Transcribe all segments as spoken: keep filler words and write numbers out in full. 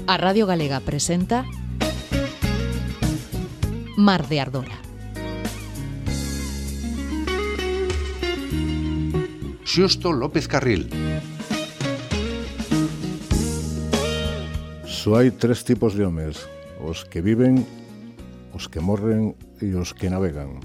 A Radio Galega presenta Mar de Ardora. Xusto López Carril. Só hai tres tipos de homes: os que viven, os que morren e os que navegan.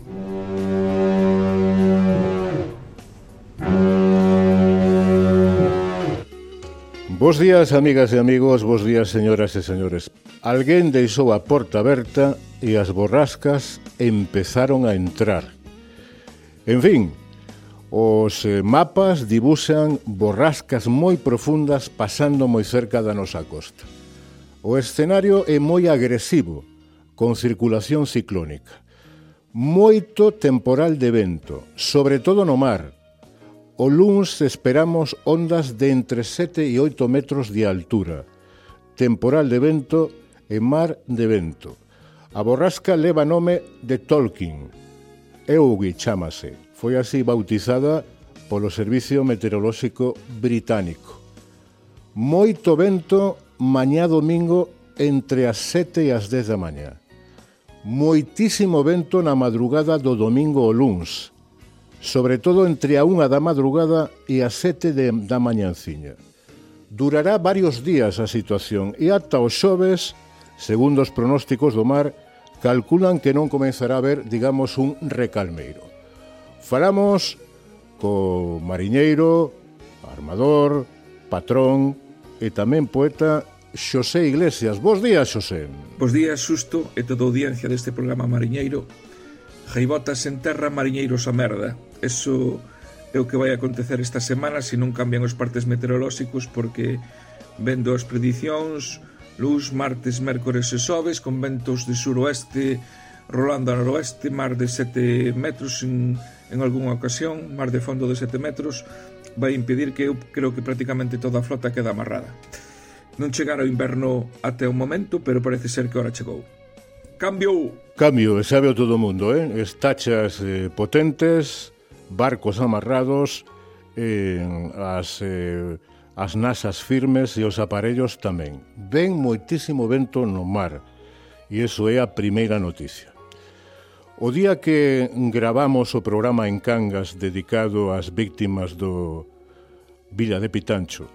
Bos días, amigas e amigos, bos días, señoras e señores. Alguén deixou a porta aberta e as borrascas empezaron a entrar. En fin, os mapas dibuxan borrascas moi profundas pasando moi cerca da nosa costa. O escenario é moi agresivo, con circulación ciclónica. Moito temporal de vento, sobre todo no mar. O luns esperamos ondas de entre sete e oito metros de altura, temporal de vento e mar de vento. A borrasca leva nome de Tolkien, Eugi chámase, foi así bautizada polo Servicio Meteorolóxico Británico. Moito vento mañá domingo entre as sete e as dez da mañá. Moitísimo vento na madrugada do domingo ao luns, sobre todo entre a unha da madrugada e as sete de, da mañanciña. Durará varios días a situación e ata os xoves, segundo os pronósticos do mar, calculan que non comenzará a haber, digamos, un recalmeiro. Falamos co mariñeiro, armador, patrón e tamén poeta Xosé Iglesias. Bos días, Xosé. Bos días, Xusto, e toda a audiencia deste programa mariñeiro. Jaibotas en terra, mariñeiros a merda. Eso é o que vai acontecer esta semana se non cambian os partes meteorolóxicos, porque vendo as predicións, luz martes, mércores e xoves, con ventos de suroeste rolando a noroeste, mar de sete metros en, en algunha ocasión, mar de fondo de sete metros, vai impedir que eu creo que prácticamente toda a flota queda amarrada. Non chegará o inverno até o momento, pero parece ser que ahora chegou. Cambio! Cambio, e sabe o todo o mundo, eh? Estachas eh, potentes, barcos amarrados, eh, as, eh, as nasas firmes e os aparellos tamén. Ven moitísimo vento no mar, e iso é a primeira noticia. O día que gravamos o programa en Cangas dedicado ás víctimas do Villa de Pitancho,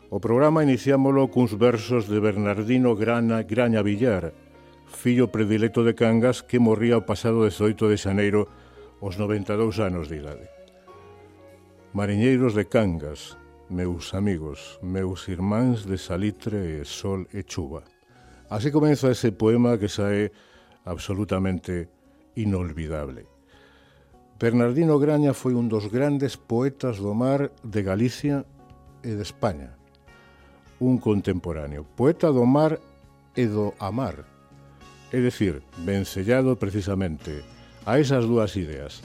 o programa iniciámolo cuns versos de Bernardino Grana, Graña Villar, fillo predilecto de Cangas, que morría o pasado dezoito de xaneiro aos noventa e dous anos de idade. Mariñeiros de Cangas, meus amigos, meus irmáns de salitre e sol e chuva. Así comeza ese poema que xa é absolutamente inolvidable. Bernardino Graña foi un dos grandes poetas do mar de Galicia e de España. Un contemporáneo, poeta do mar e do amar. É dicir, vencellado precisamente a esas dúas ideas.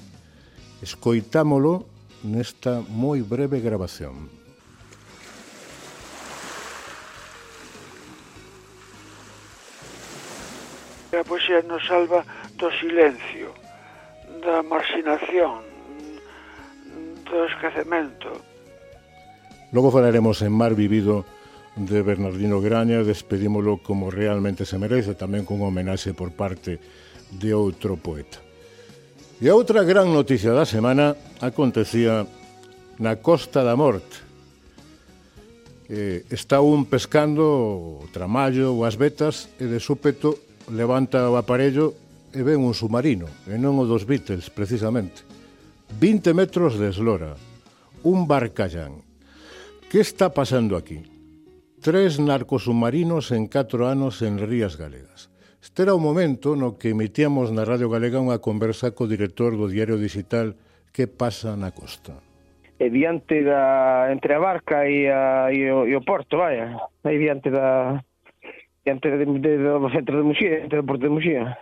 Escoitámolo nesta moi breve grabación. A poesía nos salva do silencio, da marxinación, do esquecemento. Logo falaremos en Mar Vivido de Bernardino Graña, despedímolo como realmente se merece, tamén con homenaxe por parte de outro poeta. E a outra gran noticia da semana acontecía na Costa da Morte. Eh, está un pescando o tramallo ou as vetas e de súpeto levanta o aparello e ven un submarino, e non o dos Beatles, precisamente. vinte metros de eslora, un barcallán. Que está pasando aquí? Tres narcosubmarinos en catro anos en rías galegas. Este era o momento no que emitíamos na Radio Galega unha conversa co director do diario digital Que pasa na costa. E diante da, entre a barca e, a, e, o, e o porto, vaya, aí diante da diante de, de, do centro de Muxía, diante do porto de Muxía.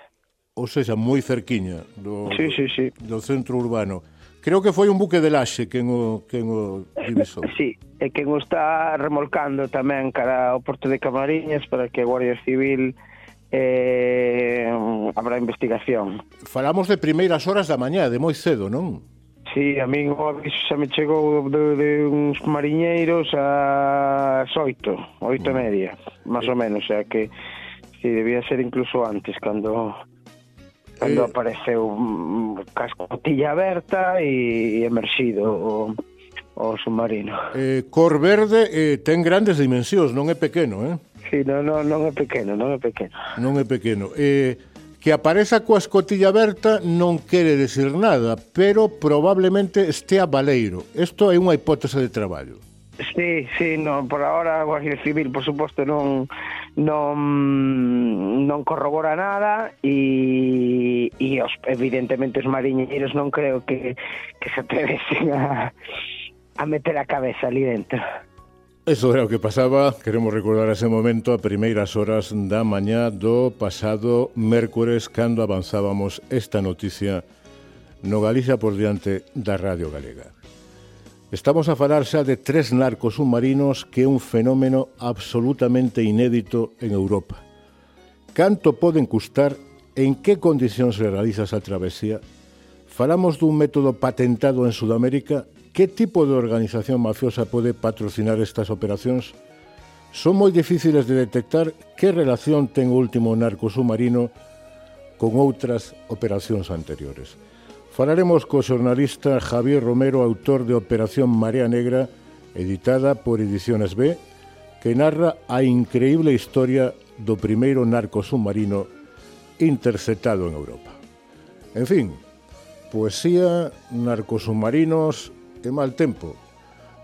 Ou seja, moi cerquiña do, sí, sí, sí. do centro urbano. Creo que foi un buque de laxe quen o, quen o divisou. Sí, e quen o está remolcando tamén cara ao porto de Camariñas para que a Guardia Civil eh, habrá investigación. Falamos de primeiras horas da mañá, de moi cedo, non? Sí, a mí o aviso xa me chegou de, de uns mariñeiros ás oito, oito e media, máis ou menos, o sea que sí, debía ser incluso antes, cando cando eh... apareceu um, cascotilla aberta e emerxido o, o submarino. Eh, Cor Verde eh, ten grandes dimensións, non é pequeno, eh? Sí, non, non, non é pequeno, non é pequeno. Non é pequeno. Eh... Que apareza coa escotilla aberta non quere decir nada, pero probablemente estea baleiro. Isto é unha hipótese de traballo. Sí, sí, no, por ahora a Guardia Civil, por suposto, non non non corrobora nada e, e os, evidentemente os mariñeiros non creo que, que se atrevesen a, a meter a cabeza ali dentro. Eso era o que pasaba, queremos recordar ese momento a primeiras horas da mañá do pasado mércores cando avanzábamos esta noticia no Galicia por diante da Radio Galega. Estamos a falar xa de tres narcos submarinos que é un fenómeno absolutamente inédito en Europa. Canto poden custar? En que condicións se realiza esa travesía? Falamos dun método patentado en Sudamérica. Que tipo de organización mafiosa pode patrocinar estas operacións? Son moi difíciles de detectar. Que relación ten o último narco submarino con outras operacións anteriores? Falaremos co xornalista Javier Romero, autor de Operación Marea Negra, editada por Ediciones B, que narra a increíble historia do primeiro narco submarino interceptado en Europa. En fin, poesía, narcosubmarinos e mal tempo,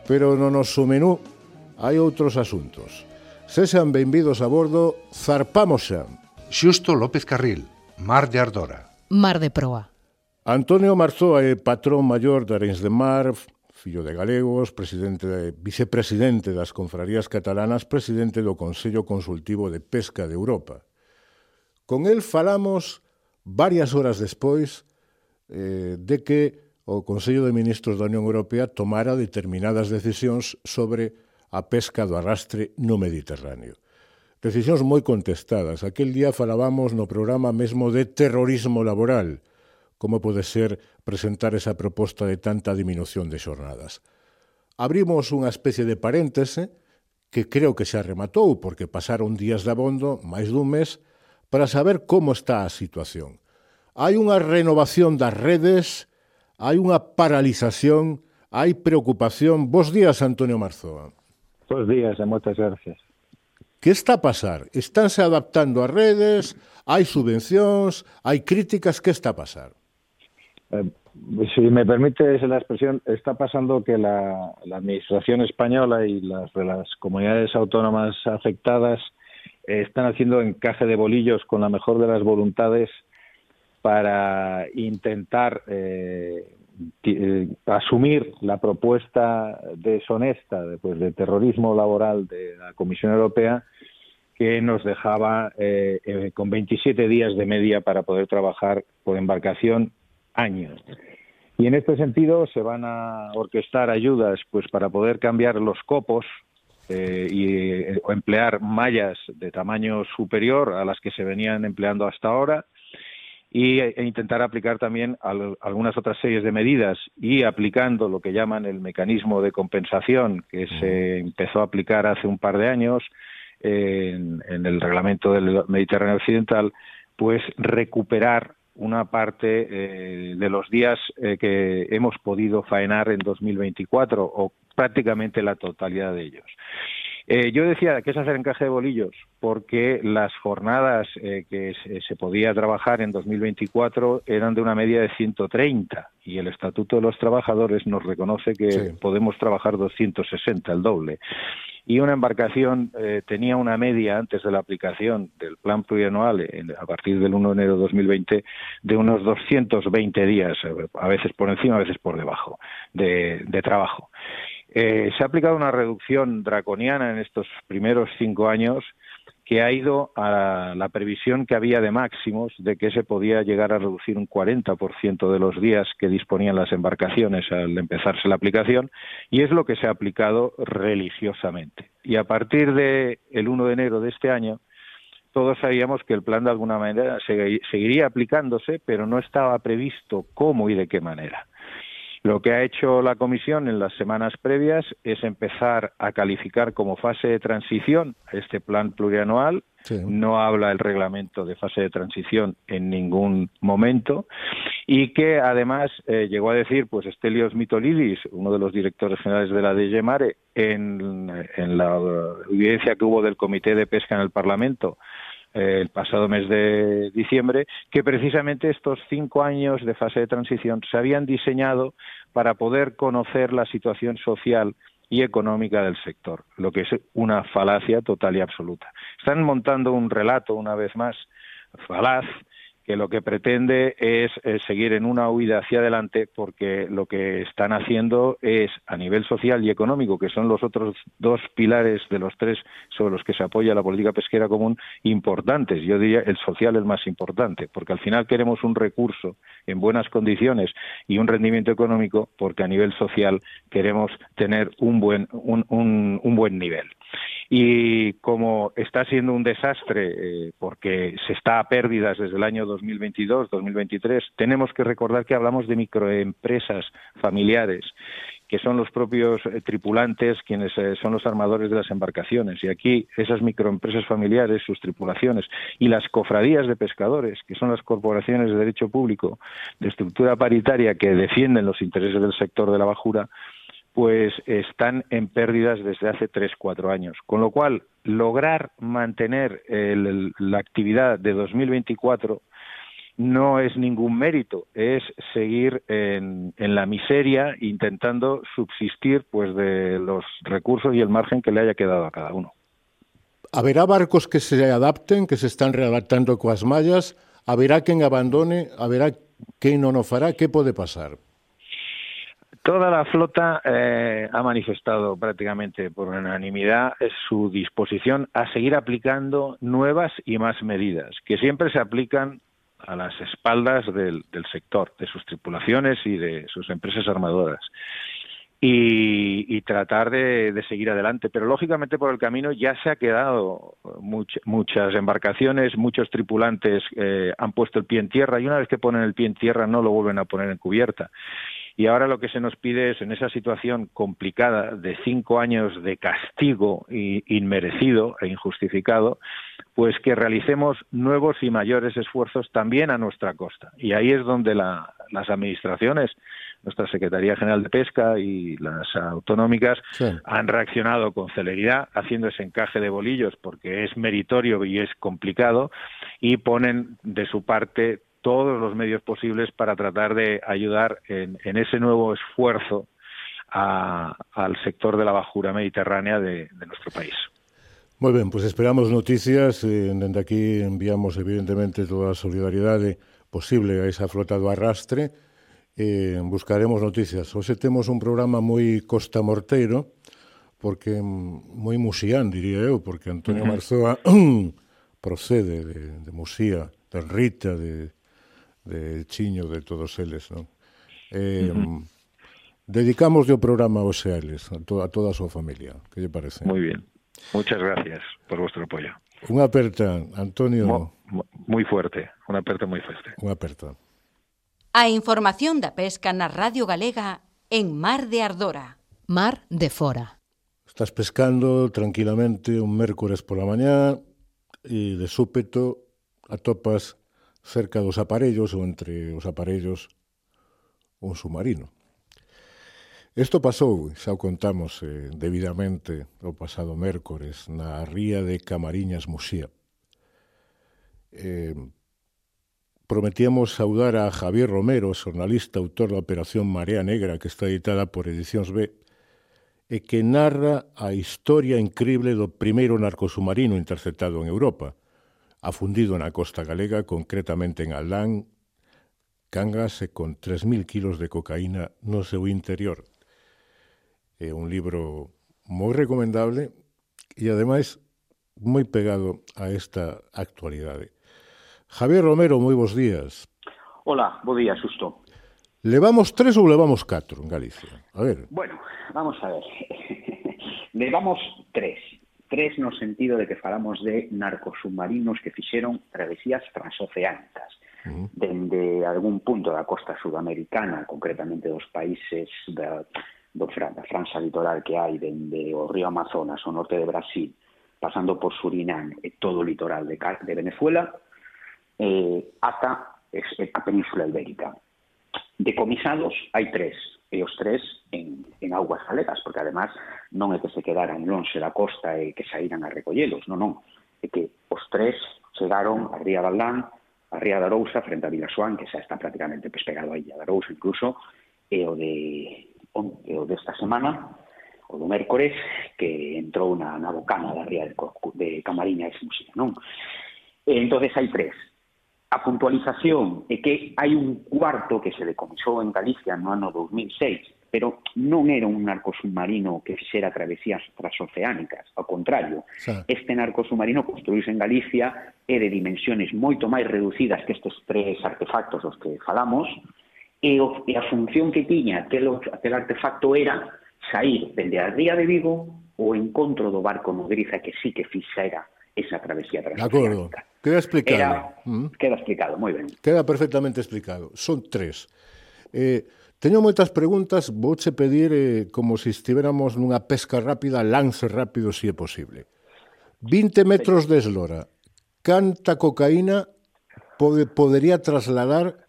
pero no noso menú hai outros asuntos. Sexan benvidos a bordo, zarpamos xa. Xusto López Carril, Mar de Ardora. Mar de Proa. Antonio Marzoa é patrón maior de Arenys de Mar, fillo de galegos, presidente de, vicepresidente das confrarías catalanas, presidente do Consello Consultivo de Pesca de Europa. Con el falamos varias horas despois eh, de que o Consello de Ministros da Unión Europea tomara determinadas decisións sobre a pesca do arrastre no Mediterráneo. Decisións moi contestadas. Aquel día falábamos no programa mesmo de terrorismo laboral, como pode ser presentar esa proposta de tanta diminución de xornadas. Abrimos unha especie de paréntese que creo que xa rematou, porque pasaron días de abondo, máis dun mes, para saber como está a situación. Hai unha renovación das redes, hai unha paralización, hai preocupación. Bos días, Antonio Marzoa. Bos días e moitas gracias. Que está a pasar? Estánse adaptando as redes? Hai subvencións? Hai críticas? Que está a pasar? Eh, si me permites la expresión, está pasando que la, la administración española y las, las comunidades autónomas afectadas eh, están haciendo encaje de bolillos con la mejor de las voluntades para intentar eh, eh, asumir la propuesta deshonesta de, pues, de terrorismo laboral de la Comisión Europea, que nos dejaba eh, eh, con veintisiete días de media para poder trabajar por embarcación año. Y en este sentido se van a orquestar ayudas pues para poder cambiar los copos eh, y eh, o emplear mallas de tamaño superior a las que se venían empleando hasta ahora, y e intentar aplicar también al, algunas otras series de medidas, y aplicando lo que llaman el mecanismo de compensación, que se empezó a aplicar hace un par de años eh, en, en el reglamento del Mediterráneo Occidental, pues recuperar una parte eh, de los días eh, que hemos podido faenar en dos mil veinticuatro, o prácticamente la totalidad de ellos. Eh, yo decía que es hacer encaje de bolillos, porque las jornadas eh, que se, se podía trabajar en dos mil veinticuatro eran de una media de ciento treinta, y el Estatuto de los Trabajadores nos reconoce que sí podemos trabajar doscientos sesenta, el doble. Y una embarcación eh, tenía una media, antes de la aplicación del plan plurianual, en, a partir del uno de enero de dos mil veinte, de unos doscientos veinte días, a veces por encima, a veces por debajo, de, de trabajo. Eh, se ha aplicado una reducción draconiana en estos primeros cinco años, que ha ido a la previsión que había de máximos de que se podía llegar a reducir un cuarenta por ciento de los días que disponían las embarcaciones al empezarse la aplicación, y es lo que se ha aplicado religiosamente. Y a partir del uno de enero de este año, todos sabíamos que el plan de alguna manera seguiría aplicándose, pero no estaba previsto cómo y de qué manera. Lo que ha hecho la Comisión en las semanas previas es empezar a calificar como fase de transición este plan plurianual. Sí. No habla el reglamento de fase de transición en ningún momento, y que además eh, llegó a decir pues Stelios Mitolidis, uno de los directores generales de la D G Mare, en, en la audiencia que hubo del Comité de Pesca en el Parlamento eh, el pasado mes de diciembre, que precisamente estos cinco años de fase de transición se habían diseñado para poder conocer la situación social y económica del sector, lo que es una falacia total y absoluta. Están montando un relato, una vez más, falaz, que lo que pretende es eh, seguir en una huida hacia adelante, porque lo que están haciendo es, a nivel social y económico, que son los otros dos pilares de los tres sobre los que se apoya la política pesquera común, importantes. Yo diría el social el más importante, porque al final queremos un recurso en buenas condiciones y un rendimiento económico, porque a nivel social queremos tener un buen, un, un, un buen nivel. Y como está siendo un desastre, eh, porque se está a pérdidas desde el año dos mil veintidós, dos mil veintitrés, tenemos que recordar que hablamos de microempresas familiares, que son los propios eh, tripulantes quienes eh, son los armadores de las embarcaciones. Y aquí esas microempresas familiares, sus tripulaciones y las cofradías de pescadores, que son las corporaciones de derecho público de estructura paritaria que defienden los intereses del sector de la bajura, pues están en pérdidas desde hace tres, cuatro años. Con lo cual, lograr mantener el, la actividad de dos mil veinticuatro no es ningún mérito, es seguir en, en la miseria, intentando subsistir pues de los recursos y el margen que le haya quedado a cada uno. Haberá barcos que se adapten, que se están readaptando coas mallas, haberá quen abandone, haberá quen non o fará, que pode pasar? Toda la flota eh, ha manifestado prácticamente por unanimidad su disposición a seguir aplicando nuevas y más medidas, que siempre se aplican a las espaldas del, del sector, de sus tripulaciones y de sus empresas armadoras, y, y tratar de, de seguir adelante. Pero lógicamente por el camino ya se ha quedado much, muchas embarcaciones, muchos tripulantes eh, han puesto el pie en tierra, y una vez que ponen el pie en tierra no lo vuelven a poner en cubierta. Y ahora lo que se nos pide es, en esa situación complicada de cinco años de castigo inmerecido e injustificado, pues que realicemos nuevos y mayores esfuerzos también a nuestra costa. Y ahí es donde la, las administraciones, nuestra Secretaría General de Pesca y las autonómicas, sí, han reaccionado con celeridad, haciendo ese encaje de bolillos, porque es meritorio y es complicado, y ponen de su parte todos los medios posibles para tratar de ayudar en, en ese nuevo esfuerzo a, al sector de la bajura mediterránea de, de nuestro país. Muy bien, pues esperamos noticias. Eh, desde aquí enviamos evidentemente toda la solidaridad posible a esa flota do arrastre. Eh, buscaremos noticias. Hoxe temos un programa moi costamorteiro, porque moi musián, diría eu, porque Antonio uh-huh. Marzoa procede de, de Musía, de Rita, de de Chiño, de todos eles, non? Eh, uh-huh. Dedicamos o programa aos eles, a, to, a toda a súa familia. Que lle parece? Moi bien. Muchas gracias por vuestro apoyo. Unha aperta, Antonio. Mo, mo, moi fuerte, unha aperta moi fuerte. Unha aperta. A información da pesca na Radio Galega en Mar de Ardora. Mar de Fora. Estás pescando tranquilamente un mércores pola mañá e de súpeto atopas cerca dos aparellos ou entre os aparellos un submarino. Isto pasou, xa o contamos eh, debidamente o pasado mércores na ría de Camariñas, Musía. Eh, prometíamos saudar a Javier Romero, xornalista, autor da Operación Marea Negra, que está editada por Edicións B, e que narra a historia incrible do primeiro narcosubmarino interceptado en Europa, afundido na costa galega, concretamente en Aldán, Cangas, e con tres mil kilos de cocaína no seu interior. É un libro moi recomendable e, ademais, moi pegado a esta actualidade. Javier Romero, moi bons días. Hola, bo día, Susto. Levamos tres ou levamos catro en Galicia? A ver. Bueno, vamos a ver. Levamos tres. tres no sentido de que falamos de narcosubmarinos que fixeron travesías transoceánicas uh-huh. dende algún punto da costa sudamericana, concretamente dos países da, do, da franxa litoral que hai dende o río Amazonas, o norte de Brasil, pasando por Surinam e todo o litoral de, de Venezuela, eh, ata a Península Ibérica. Decomisados hai tres, e os tres en, en augas galegas, porque además non é que se quedaran lonxe da costa e que saíran a recollelos, non, non, é que os tres chegaron a Ría de Aldán, a Ría de Arousa, frente a Vilasoán, que xa está prácticamente pegado a Illa de Arousa incluso, e o de e o desta semana, o do mércores, que entrou na, na bocana da Ría de, de Camariña e Musía, non? E entonces hai tres. A puntualización é que hai un cuarto que se decomisou en Galicia no ano dos mil seis, pero non era un narcosubmarino que fixera travesías transoceánicas, ao contrario, sí. Este narcosubmarino construíse en Galicia é de dimensiones moito máis reducidas que estes tres artefactos dos que falamos, e, o, e a función que tiña aquel, aquel artefacto era sair dende a Ría de Vigo o encontro do barco nodriza que sí que fixera esa travesía transoceánica. Queda explicado. Era, mm. Queda explicado, moi ben. Queda perfectamente explicado. Son tres. Eh, teño moitas preguntas, vouche pedir, eh, como se estivéramos nunha pesca rápida, lance rápido, se si é posible. vinte metros de eslora. Canta cocaína pode, podería trasladar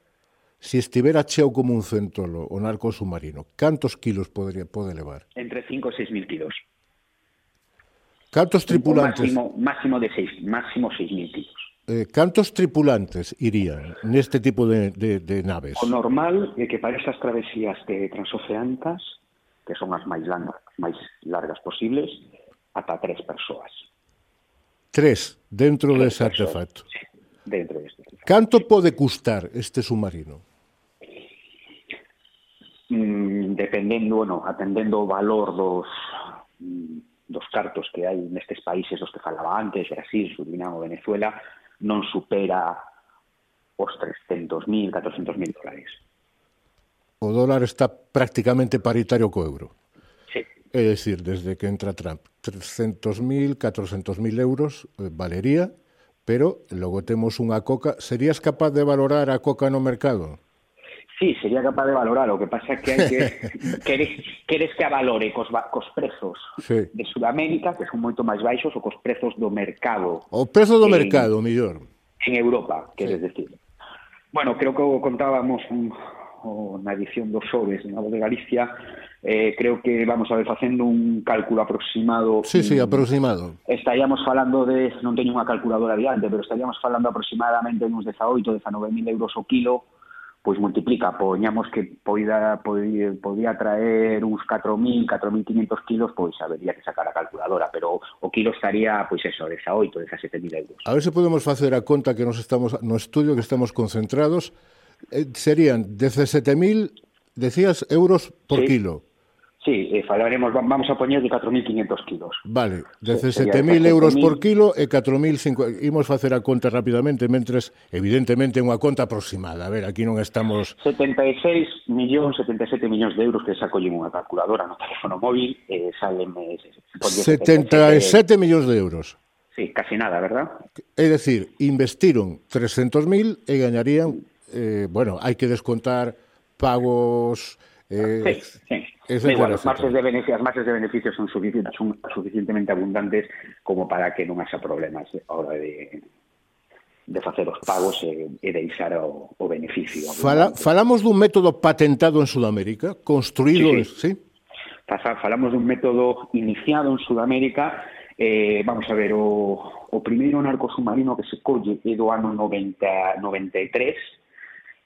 se si estivera cheo como un centolo o narco submarino? Cantos kilos podería, pode levar? Entre cinco e seis mil kilos. Cantos tripulantes? Máximo, máximo de seis, máximo seis mil kilos. Eh, cantos tripulantes irían neste tipo de, de, de naves? O normal é que para esas travesías de transoceánicas, que son as máis largas, máis largas posibles, ata tres persoas. Tres, dentro tres dese artefacto. Sí, dentro deste artefacto. Canto pode custar este submarino? Mm, dependendo, bueno, atendendo o valor dos... Mm, dos cartos que hai nestes países dos que falaba antes, Brasil, Surinam ou Venezuela, non supera os trescentos mil, catrocentos mil dólares. O dólar está prácticamente paritario co euro. Sí. É dicir, desde que entra Trump, trescentos mil, catrocentos mil euros eh, valería, pero logo temos unha coca. Serías capaz de valorar a coca no mercado? Sí, sería capaz de valorar, o que pasa é que hai que queres, queres que a valore cos, cos prezos sí. de Sudamérica, que son moito máis baixos, ou cos prezos do mercado. O prezo do en, mercado, mellor. En Europa, queres sí. decir. Bueno, creo que o contábamos un, o, na edición dos xoves na Voz de Galicia, eh, creo que vamos a ver facendo un cálculo aproximado. Sí, sí, aproximado. Estaríamos falando de, non teño unha calculadora diante, pero estaríamos falando aproximadamente uns dezaoito, dezanove mil euros o kilo, pois multiplica, poñamos que poida, podía, podía traer uns catro mil, catro mil quinhentos kilos, pois habería que sacar a calculadora, pero o kilo estaría, pois eso, dezaoito, dezasete mil euros. A ver se podemos facer a conta que nos estamos no estudio, que estamos concentrados, eh, serían dezasete mil, decías, euros por sí. kilo. Sí, eh, falaremos, vamos a poñer de catro mil quinhentos kilos. Vale, dezasete mil euros por kilo e catro mil cincuenta. Imos facer a conta rapidamente, mentres, evidentemente, unha conta aproximada. A ver, aquí non estamos... setenta e seis millóns, setenta e sete millóns de euros que sacollen unha calculadora no teléfono móvil, eh, salen... Eh, setenta e sete millóns de euros. Sí, casi nada, verdad? É dicir, investiron trescentos mil e gañarían... Eh, bueno, hai que descontar pagos... Eh, sí, sí. Igual, as marxes de beneficios, as marxes de beneficios son, suficientes, son suficientemente abundantes como para que non haxa problemas a hora de, de facer os pagos e, e deixar o, o beneficio. Fala, falamos dun método patentado en Sudamérica, construído... Sí, sí. ¿sí? Falamos dun método iniciado en Sudamérica. Eh, vamos a ver, o, o primeiro narco submarino que se colle é do ano noventa, noventa e tres,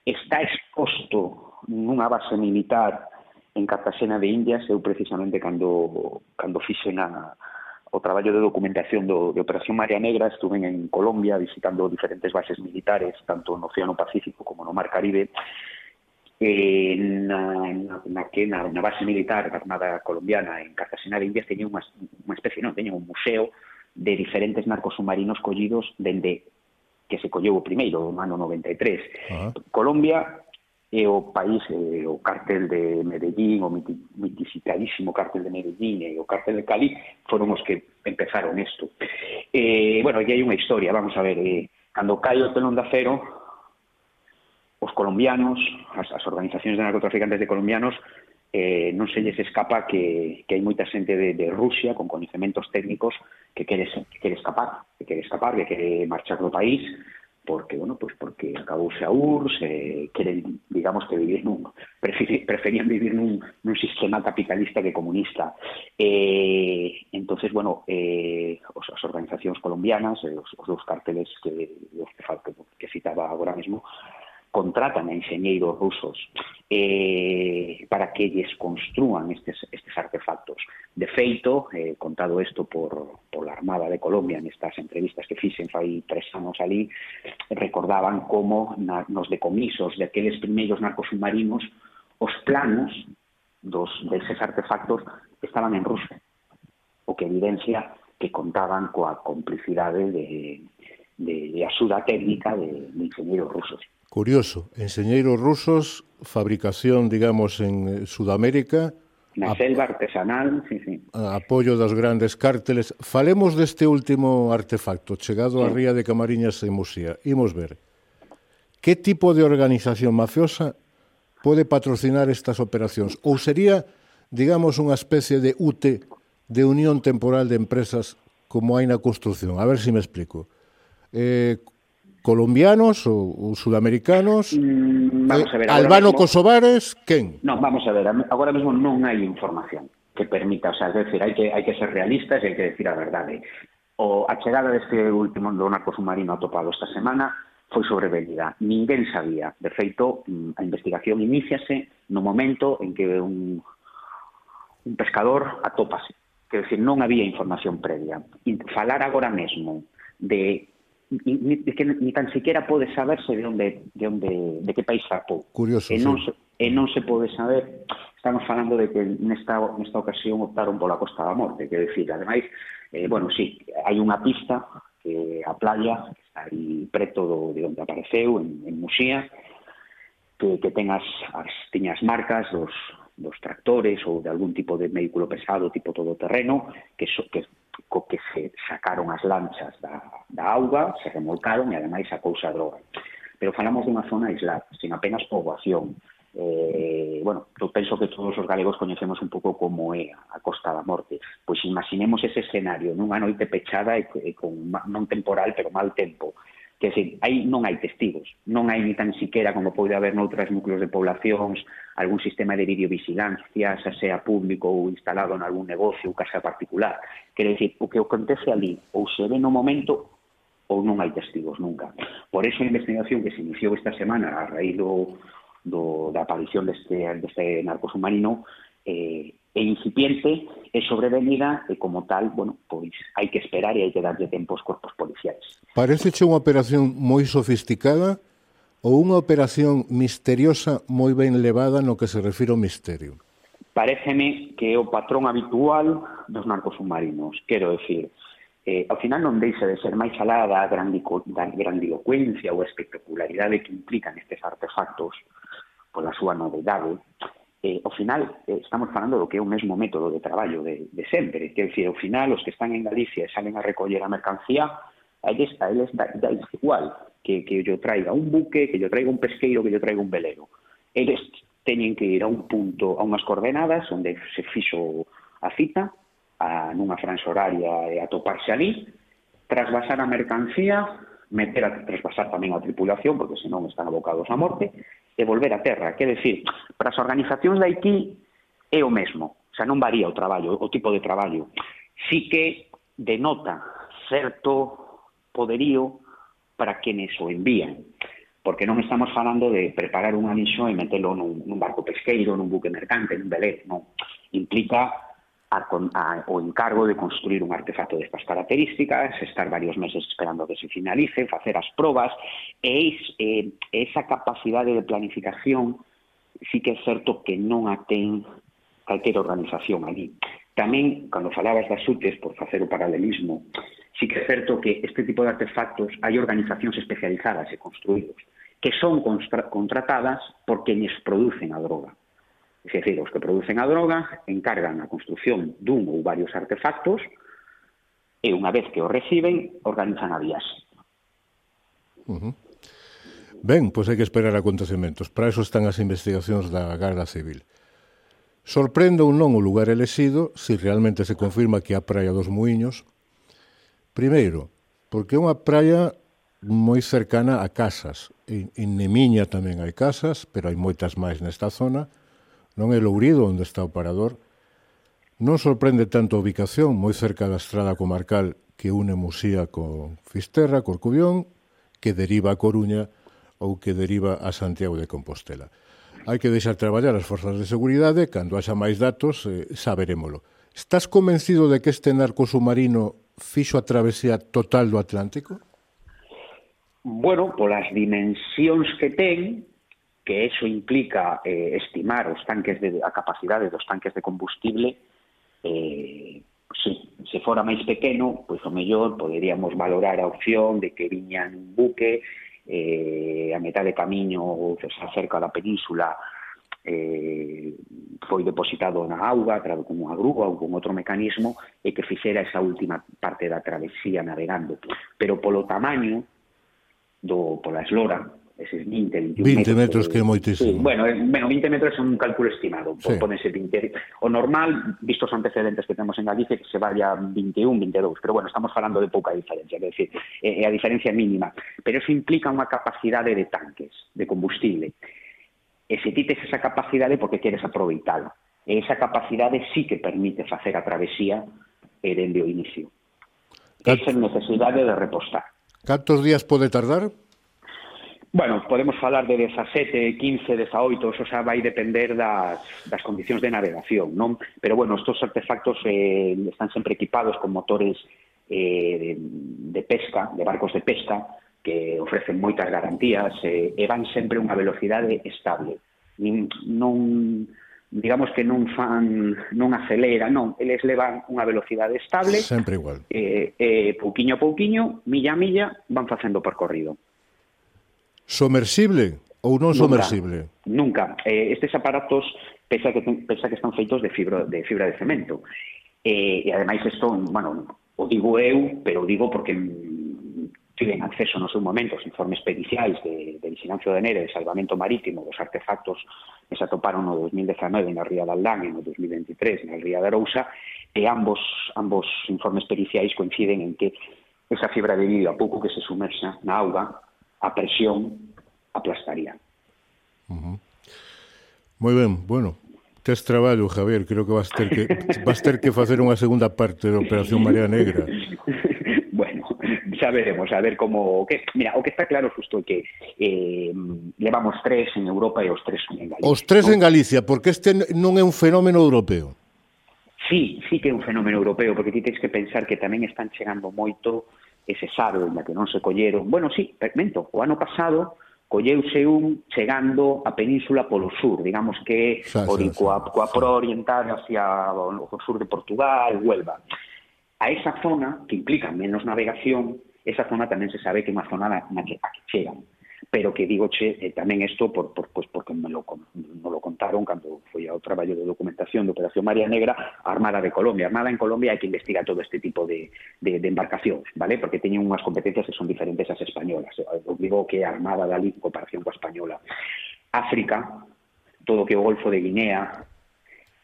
está exposto nunha base militar en Cartagena de Indias. Eu precisamente cando cando fixen a, o traballo de documentación do, de Operación Marea Negra, estuve en Colombia visitando diferentes bases militares, tanto no Océano Pacífico como no Mar Caribe. Eh, na, na, na, na, na base militar da Armada Colombiana en Cartagena de Indias teña unha, unha especie, non, teña un museo de diferentes narcos submarinos collidos dende que se colleu o primeiro, no ano noventa e tres. Uh-huh. Colombia e o país, e o cartel de Medellín, o mitificadísimo cartel de Medellín e o cartel de Cali foron os que empezaron isto. Eh, bueno, aquí hai unha historia, vamos a ver, eh, cando cae o telón de acero, os colombianos, as, as organizacións de narcotraficantes de colombianos, eh, non se lles escapa que, que hai moita xente de, de Rusia con coñecementos técnicos que quere, que quere escapar, que quere escapar, que quere marchar do país, porque, bueno, pues porque acabouse a U R S S, eh, queren, digamos, que vivir nun, preferían vivir nun, nun sistema capitalista que comunista. Eh, entonces, bueno, eh, os, as organizacións colombianas, eh, os, os dos carteles que, os que, que citaba agora mesmo, contratan a enxeñeiros rusos eh, para que lles construan estes, estes artefactos. De feito, eh, contado isto por, por la Armada de Colombia en estas entrevistas que fixen fai tres anos ali, recordaban como na, nos decomisos de aqueles primeiros narcosubmarinos os planos dos deses artefactos estaban en ruso, o que evidencia que contaban coa complicidade de, de, de axuda técnica de, de enxeñeiros rusos. Curioso, enxeñeiros rusos, fabricación, digamos, en Sudamérica, na selva artesanal, sí, sí. Apoio das grandes cárteles. Falemos deste último artefacto, chegado sí. a Ría de Camariñas en Muxía. Imos ver. Que tipo de organización mafiosa pode patrocinar estas operacións? Ou sería, digamos, unha especie de U T, de unión temporal de empresas como hai na construcción? A ver se me explico. Eh, colombianos ou, ou sudamericanos, mm, vamos a ver, eh, albano-kosovares, quen? Non, vamos a ver, agora mesmo non hai información que permita, o sea, es decir, hai que, hai que ser realistas e hai que decir a verdade. O, a chegada deste último do narcosubmarino atopado esta semana foi sobrevenida. Ninguén sabía. De feito, a investigación iníciase no momento en que un, un pescador atópase. Quer decir, non había información previa. E falar agora mesmo de Ni, que ni tan siquiera pode saberse de onde, de onde, de que país zarpou. Curioso, e non, sí. E non se pode saber, estamos falando de que nesta, nesta ocasión optaron pola Costa da Morte, que decir, ademais, eh, bueno, sí, hai unha pista, que a playa, que está aí preto do, de onde apareceu, en, en Muxía, que, que ten as, as, tiñas marcas dos, dos tractores ou de algún tipo de vehículo pesado, tipo todoterreno, que, so, que co que se sacaron as lanchas da, da auga, se remolcaron e ademais sacouse a droga. Pero falamos dunha zona aislada, sin apenas poboación. Eh, bueno, eu penso que todos os galegos coñecemos un pouco como é a Costa da Morte. Pois imaginemos ese escenario nunha noite pechada e, e con non temporal, pero mal tempo. Que, decir, hai, non hai testigos, non hai ni tan siquiera como pode haber noutras núcleos de poblacións algún sistema de videovigilancia, xa sea público ou instalado en algún negocio ou casa particular. Quer decir, o que acontece ali ou se ve no momento ou non hai testigos nunca. Por eso a investigación que se iniciou esta semana a raíz do, do, da aparición deste, deste narcosubmarino eh, é incipiente, é sobrevenida e como tal, bueno, pois hai que esperar e hai que darlle tempo aos corpos policiais. Paréceche unha operación moi sofisticada ou unha operación misteriosa moi ben levada no que se refire ao misterio? Paréceme que é o patrón habitual dos narcosubmarinos. Quero decir, eh, ao final non deixa de ser máis alá da grandilocuencia ou espectacularidade que implican estes artefactos pola súa novedade. Eh, ao final, eh, estamos falando do que é o mesmo método de traballo de, de sempre. Quer dizer, ao final, os que están en Galicia e salen a recoller a mercancía, a eles, a eles da, da igual que, que yo traiga un buque, que yo traiga un pesqueiro, que yo traiga un velero. Eles teñen que ir a un punto, a unhas coordenadas, onde se fixo a cita, a, nunha franxa horaria e atoparse ali, trasvasar a mercancía, meter a trasvasar tamén a tripulación, porque senón están abocados a morte, e volver a terra. Quer decir, para as organizacións de aquí é o mesmo, o sea, non varía o traballo, o tipo de traballo. Sí que denota certo poderío para quenes o envían, porque non estamos falando de preparar un anixo e metelo nun, nun barco pesqueiro, nun buque mercante, nun velero, non. Implica a, a, o encargo de construir un artefacto destas características, estar varios meses esperando que se finalice, facer as probas, e, e esa capacidade de planificación sí que é certo que non a ten calquera organización ali. Tamén, cando falabas das U T E S, por facer o paralelismo, sí que é certo que este tipo de artefactos hai organizacións especializadas e construídos. que son contratadas por quenes producen a droga. É dicir, os que producen a droga encargan a construción dun ou varios artefactos e unha vez que o reciben, organizan a viaxe. Uh-huh. Ben, pois hai que esperar acontecementos. Para eso están as investigacións da Garda Civil. Sorprende ou non o lugar elexido se realmente se confirma que é a Praia dos Muiños. Primeiro, porque é unha praia moi cercana a casas. En, en Nemiña tamén hai casas, pero hai moitas máis nesta zona. Non é Lourido onde está o parador. Non sorprende tanto a ubicación, moi cerca da estrada comarcal que une Musía con Fisterra, Corcubión, que deriva a Coruña ou que deriva a Santiago de Compostela. Hai que deixar traballar as forzas de seguridade, cando haxa máis datos, eh, saberémolo. Estás convencido de que este narco submarino fixo a travesía total do Atlántico? Bueno, polas dimensións que ten, que eso implica eh, estimar os tanques de, a capacidade dos tanques de combustible, eh, si, se fora máis pequeno, pois o mellor poderíamos valorar a opción de que viña un buque eh, a metade de camiño cerca da península, eh, foi depositado na auga a través con unha grúa ou con outro mecanismo e que fixera esa última parte da travesía navegando. Pero polo tamaño do, pola eslora, eses vinte, veintiún metros, que é moitísimo. Sí, bueno, bueno, vinte metros é un cálculo estimado, sí. Pódense vinte. O normal, vistos os antecedentes que temos en Galicia, que se vaya veintiún, veintidós, pero bueno, estamos falando de pouca diferencia, é dicir, é a diferencia mínima, pero eso implica unha capacidade de tanques, de combustible. E se ti tes esa capacidade porque queres aproveitala. E esa capacidade sí que permite facer a travesía e dende o inicio. Esa é necesidade de repostar. Cantos días pode tardar? Bueno, podemos falar de dezasete, quince, dezaoito, eso xa vai depender das, das condicións de navegación, non? Pero, bueno, estos artefactos eh, están sempre equipados con motores eh, de, de pesca, de barcos de pesca, que ofrecen moitas garantías eh, e van sempre a unha velocidade estable. Non, digamos que non fan, non acelera, non, eles levan unha velocidade estable. Sempre igual. E eh, eh, pouquiño a pouquiño, milla a milla, van facendo o percorrido. Somersible ou non somersible? Nunca. Eh, estes aparatos pensa que, pensa que están feitos de fibra de, fibra de cemento. Eh, e ademais isto, bueno, o digo eu, pero o digo porque tiven acceso no seu momento aos informes periciais de, de vigilancia aduaneira e de salvamento marítimo dos artefactos que se atoparon no dos mil dezanove na ría de Aldán e no dos mil veintitrés na ría de Arousa, e ambos, ambos informes periciais coinciden en que esa fibra de vidro, a pouco que se sumerxa na auga, a presión aplastaría. Uh-huh. Moi ben, bueno, tes traballo, Javier, creo que vas ter que vas ter que facer unha segunda parte da Operación Marea Negra. Bueno, xa veremos, a ver como... Que, mira, o que está claro xusto é que eh, levamos tres en Europa e os tres son en Galicia. Os tres ¿no? en Galicia, porque este non é un fenómeno europeo. Sí, sí que é un fenómeno europeo, porque ti tens que pensar que tamén están chegando moito ese sabe, na que non se colleron. Bueno, sí, mento, o ano pasado colleuse un chegando a península polo sur, digamos que xa, xa, coa, coa proa oriental hacia o sur de Portugal, Huelva. A esa zona, que implica menos navegación, esa zona tamén se sabe que é unha zona na, na que, a que chegan. Pero que digo, che, eh, tamén isto por, por, pues porque me lo, me lo contaron cando foi ao traballo de documentación de Operación Marea Negra a Armada de Colombia. A Armada en Colombia hai que investigar todo este tipo de, de, de embarcacións, vale? Porque teñen unhas competencias que son diferentes ás españolas. Eu digo que a Armada da Lí en comparación coa española. África, todo que o Golfo de Guinea,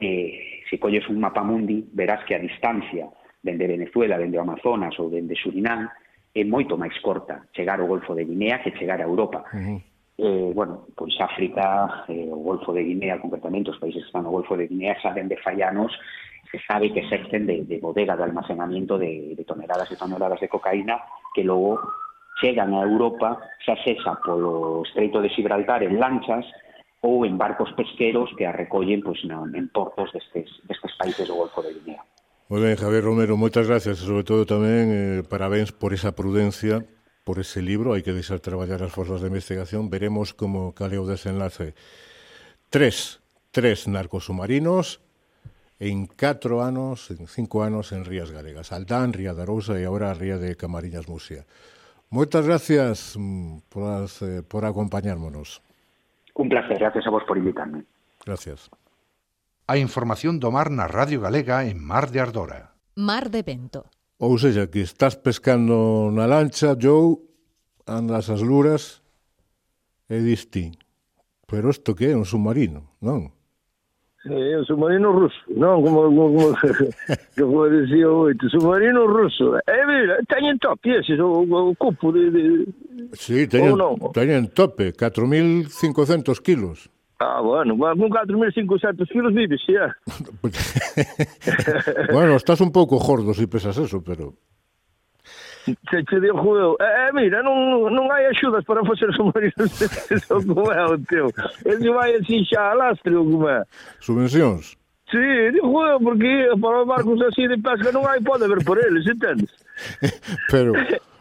eh, se colles un mapa mundi, verás que a distancia dende Venezuela, dende o Amazonas ou dende Surinam, é moito máis corta chegar ao Golfo de Guinea que chegar a Europa. Uh-huh. Eh, bueno, pois África, eh, o Golfo de Guinea, concretamente, os países que están no Golfo de Guinea, saben de fallanos, se sabe que exercen de, de bodega de almacenamiento de, de toneladas e toneladas de cocaína que logo chegan a Europa, xa sexa polo Estreito de Gibraltar en lanchas ou en barcos pesqueros que a recollen pois, no, en portos destes, destes países do Golfo de Guinea. Moi ben, Javier Romero, moitas gracias, sobre todo tamén eh, parabéns por esa prudencia, por ese libro, hai que deixar traballar as forzas de investigación, veremos como cale o desenlace. Tres, tres narcos submarinos en catro anos, en cinco anos en rías galegas, Aldán, Ría de Arousa e agora a ría de Camariñas Musia. Moitas gracias por, as, eh, por acompañármonos. Un placer, gracias a vos por invitarme. Gracias. A información do mar na Radio Galega en Mar de Ardora. Mar de Vento. Ou seja, que estás pescando na lancha, Joe, andas as luras e diste, pero isto que é un submarino, non? É un submarino ruso, non? Como, como, como decía oito, submarino ruso. E mira, teñen tope ese, o, o cupo de... de... Sí, teñen, teñen tope, catro mil cincocentos kilos. Ah, bueno, con catro mil cincocentos kilos vives, xa. Bueno, estás un pouco gordo se si pesas eso, pero... Se che digo eu, eh, mira, non, non hai axudas para facer submarinos eso como é o teu. Ese vai así xa a lastre ou como é. Subvencións? Sí, digo eu, porque para os barcos así de pesca non hai, pode haber por eles, entendes? Pero,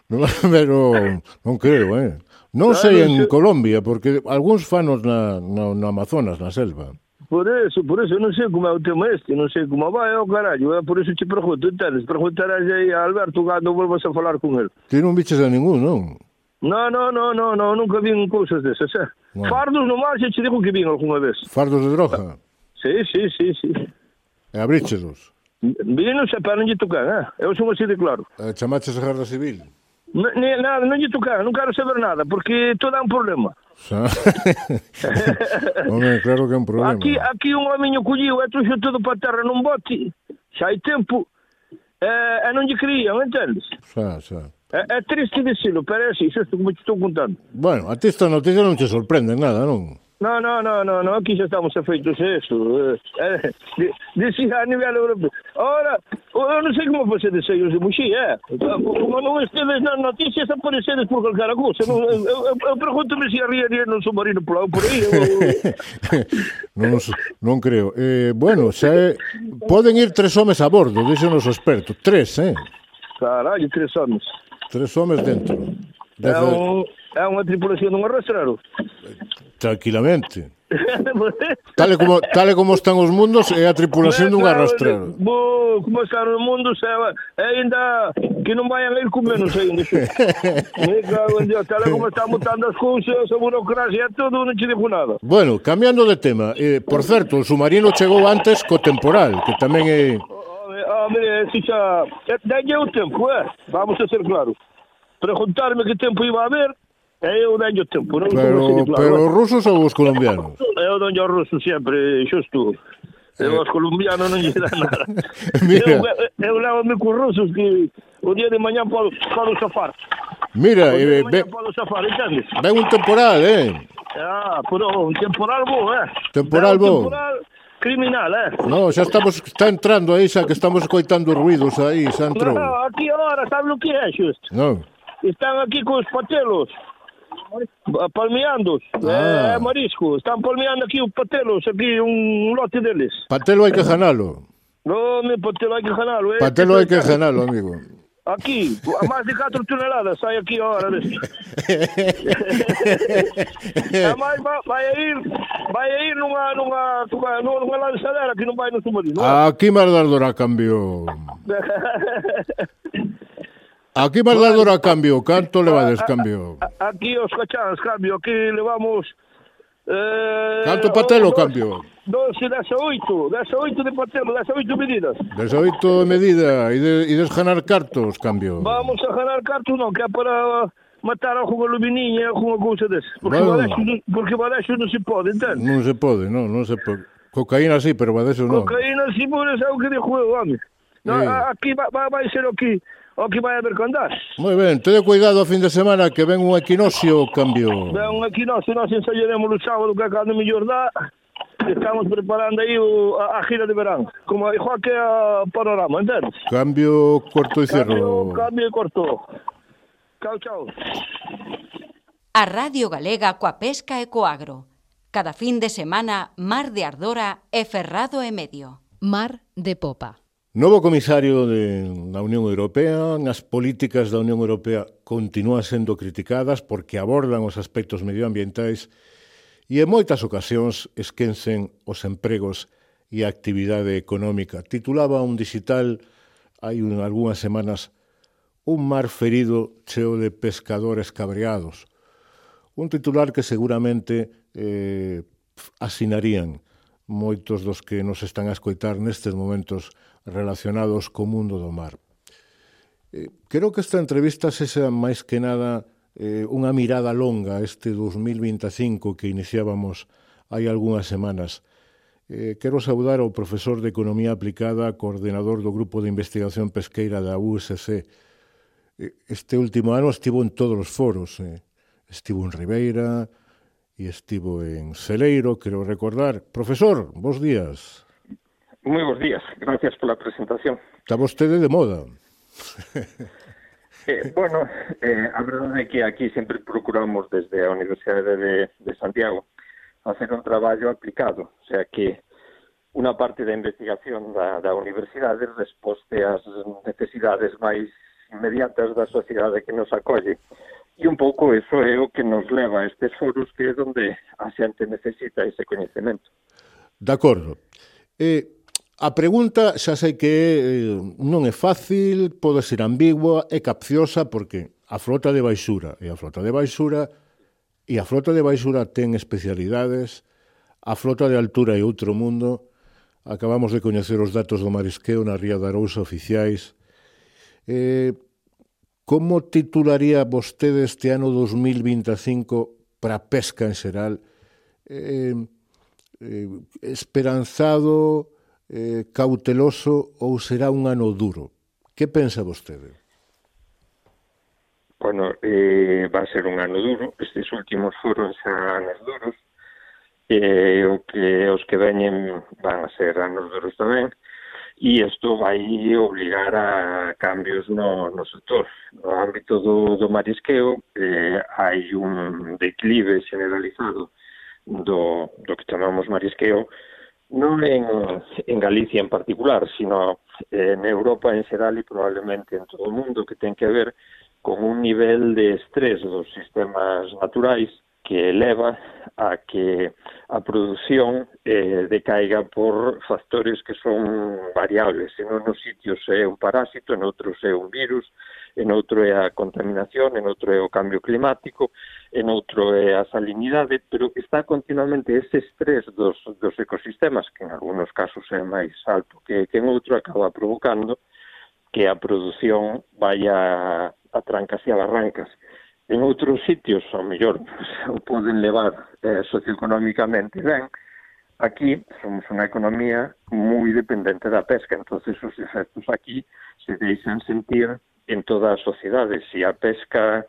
non, pero, non creo, eh? Non sei en Colombia, porque algúns fanos na, na, na Amazonas, na selva. Por eso, por eso, non sei como é o tema este, non sei como vai, é o carallo, é por eso te pregunto, entendes? Preguntarás aí a Alberto cando volvas a falar con el. Ti non biches a ningún, non? Non, non, non, non, no, nunca vin cousas desas, eh? No. Fardos no mar, xa te digo que vin algunha vez. Fardos de droga? Sí, sí, sí, sí. E abríchelos? Vino, xa, pero non lle tocan, eh? Eu son así de claro. E chamaches a Garda Civil? N nada, non lle tocan, non quero saber nada, porque todo é un problema. Home, claro que é un problema. Aquí, aquí un homiño colliu e trouxe todo para terra nun bote, xa hai tempo, e, e non lle creían, entendes? Xa, xa. É, é triste dicilo, pero é así, xusto como te estou contando. Bueno, a ti esta noticia non te sorprende nada, non? No, no, no, no, no, aquí xa estamos afeitos a eso. Eh, eh, Dicía a nivel europeo. Ahora, eu non sei como facedes aí os de Muxí, eh? Como non estedes nas noticias, aparecedes por calquera cousa. Eu, eu, eu pergunto-me se arriaría non submarino por aí. non, non creo. Eh, bueno, xa é... Poden ir tres homes a bordo, dixen os expertos. Tres, eh? Carallo, tres homes. Tres homes dentro. Desde... É, un, é unha tripulación dun arrastrero. Tranquilamente. tal, e como, tal e como están os mundos, é a tripulación dun arrastrero. Bo, como están os mundos, é, é ainda que non vayan a ir con menos ainda. Me cago en Dios, tal e como están mutando as cousas, a burocracia, todo, non te digo nada. Bueno, cambiando de tema, eh, por certo, o submarino chegou antes co temporal, que tamén é... Hombre, si xa... Dalle o tempo, eh? Vamos a ser claros. Preguntarme que tempo iba a haber, e eu dalle o tempo. Non pero, claro, pero os rusos ou os colombianos? Eu donlle os rusos sempre, xusto. E os colombianos non lle dá nada. Mira. Eu, eu levo-me cos rusos que o día de mañá podo, podo safar. Mira, o día de mañá ve, podo safar, entendes? Ven un temporal, eh? Ah, pero un temporal bo, eh? Temporal bo. Temporal criminal, eh? No, xa estamos, está entrando aí, xa que estamos coitando ruidos aí, xa entrou. No, aquí ahora, sabe o que é, xusto? Non. Están aquí cos patelos, palmeando, ah. é marisco, están palmeando aquí os patelos, aquí un lote deles. Patelo hai que janalo. No, mi patelo hai que janalo. Eh. Patelo hai que janalo, amigo. Aquí, a máis de catro toneladas sai aquí ahora. Ademais, vai a ir, vai a ir nunha, nunha, nunha, nunha lanzadera que non vai no submarino. Aquí Mar de Ardora cambio. Aquí Mar de Ardora cambio, canto levades cambio? Aquí os cacháns cambio, aquí levamos... Eh, canto patelo cambio? doce, dezaoito, dezaoito de patelo, dezaoito medidas. dezaoito de medida, e de, de janar cartos cambio? Vamos a janar cartos non, que é para matar algunha lumininha, algunha cousa desse. Porque bueno. badexo, porque badexo non se pode, entende? Non se pode, non, non se pode. Cocaína sí, pero badexo non. Cocaína sí, por eso é o que dixo eu, home. No, eh. Aquí vai, vai ser o que... o que vai haber que andar. Moi ben, teño cuidado a fin de semana que ven un equinoccio cambio. Ven un equinoccio, nós ensayaremos o sábado que a cada mellor dá. Estamos preparando aí o, a, a gira de verán. Como igual que a panorama, entendes? Cambio corto e cerro. Cambio, cambio e corto. Chao, chao. A Radio Galega coa pesca e co agro. Cada fin de semana, Mar de Ardora e Ferrado e Medio. Mar de Popa. Novo comisario de, da Unión Europea, as políticas da Unión Europea continúan sendo criticadas porque abordan os aspectos medioambientais e en moitas ocasións esquecen os empregos e a actividade económica. Titulaba un digital hai un, algunhas semanas un mar ferido cheo de pescadores cabreados. Un titular que seguramente eh, asinarían moitos dos que nos están a escoitar nestes momentos relacionados co mundo do mar. Eh, creo que esta entrevista sexa máis que nada eh, unha mirada longa a este dos mil vinte e cinco que iniciábamos hai algunhas semanas. Eh, quero saudar ao profesor de Economía Aplicada, coordenador do Grupo de Investigación Pesqueira da U S C. Eh, este último ano estivo en todos os foros. Eh. Estivo en Ribeira e estivo en Celeiro, quero recordar. Profesor, bons días. Moi bons días, gracias pola presentación. Está vostede de moda. eh, bueno, eh, a verdade é que aquí sempre procuramos desde a Universidade de, de Santiago hacer un traballo aplicado, o sea que unha parte da investigación da, da universidade resposte ás necesidades máis inmediatas da sociedade que nos acolle. E un pouco eso é o que nos leva a estes foros, que é onde a xente necesita ese coñecemento. De acordo. Eh, a pregunta xa sei que eh, non é fácil, pode ser ambigua, é capciosa, porque a flota de baixura e a flota de baixura e a flota de baixura ten especialidades, a flota de altura é outro mundo. Acabamos de coñecer os datos do marisqueo na Ría da Arousa oficiais. Eh, como titularía vostede este ano dos mil vinte e cinco para a pesca en xeral? Eh, eh, esperanzado, eh, cauteloso ou será un ano duro? Que pensa vostede? Bueno, eh, va a ser un ano duro. Estes últimos foron xa anos duros. Eh, o que os que veñen van a ser anos duros tamén. E isto vai obligar a cambios no, no sector. No ámbito do, do marisqueo eh, hai un declive generalizado do, do que chamamos marisqueo, non en, en Galicia en particular, sino en Europa en xeral e probablemente en todo o mundo, que ten que ver con un nivel de estrés dos sistemas naturais que eleva a que a produción eh, decaiga por factores que son variables. En unos sitios é un parásito, en outros é un virus, en outro é a contaminación, en outro é o cambio climático, en outro é a salinidade, pero está continuamente ese estrés dos, dos ecosistemas, que en algunos casos é máis alto que, que en outro, acaba provocando que a produción vaya a trancas e a barrancas. En outros sitios, ao mellor, pues, o poden levar eh, socioeconómicamente ben. Aquí somos unha economía moi dependente da pesca, entonces os efectos aquí se deixan sentir en toda a sociedade. Se a pesca,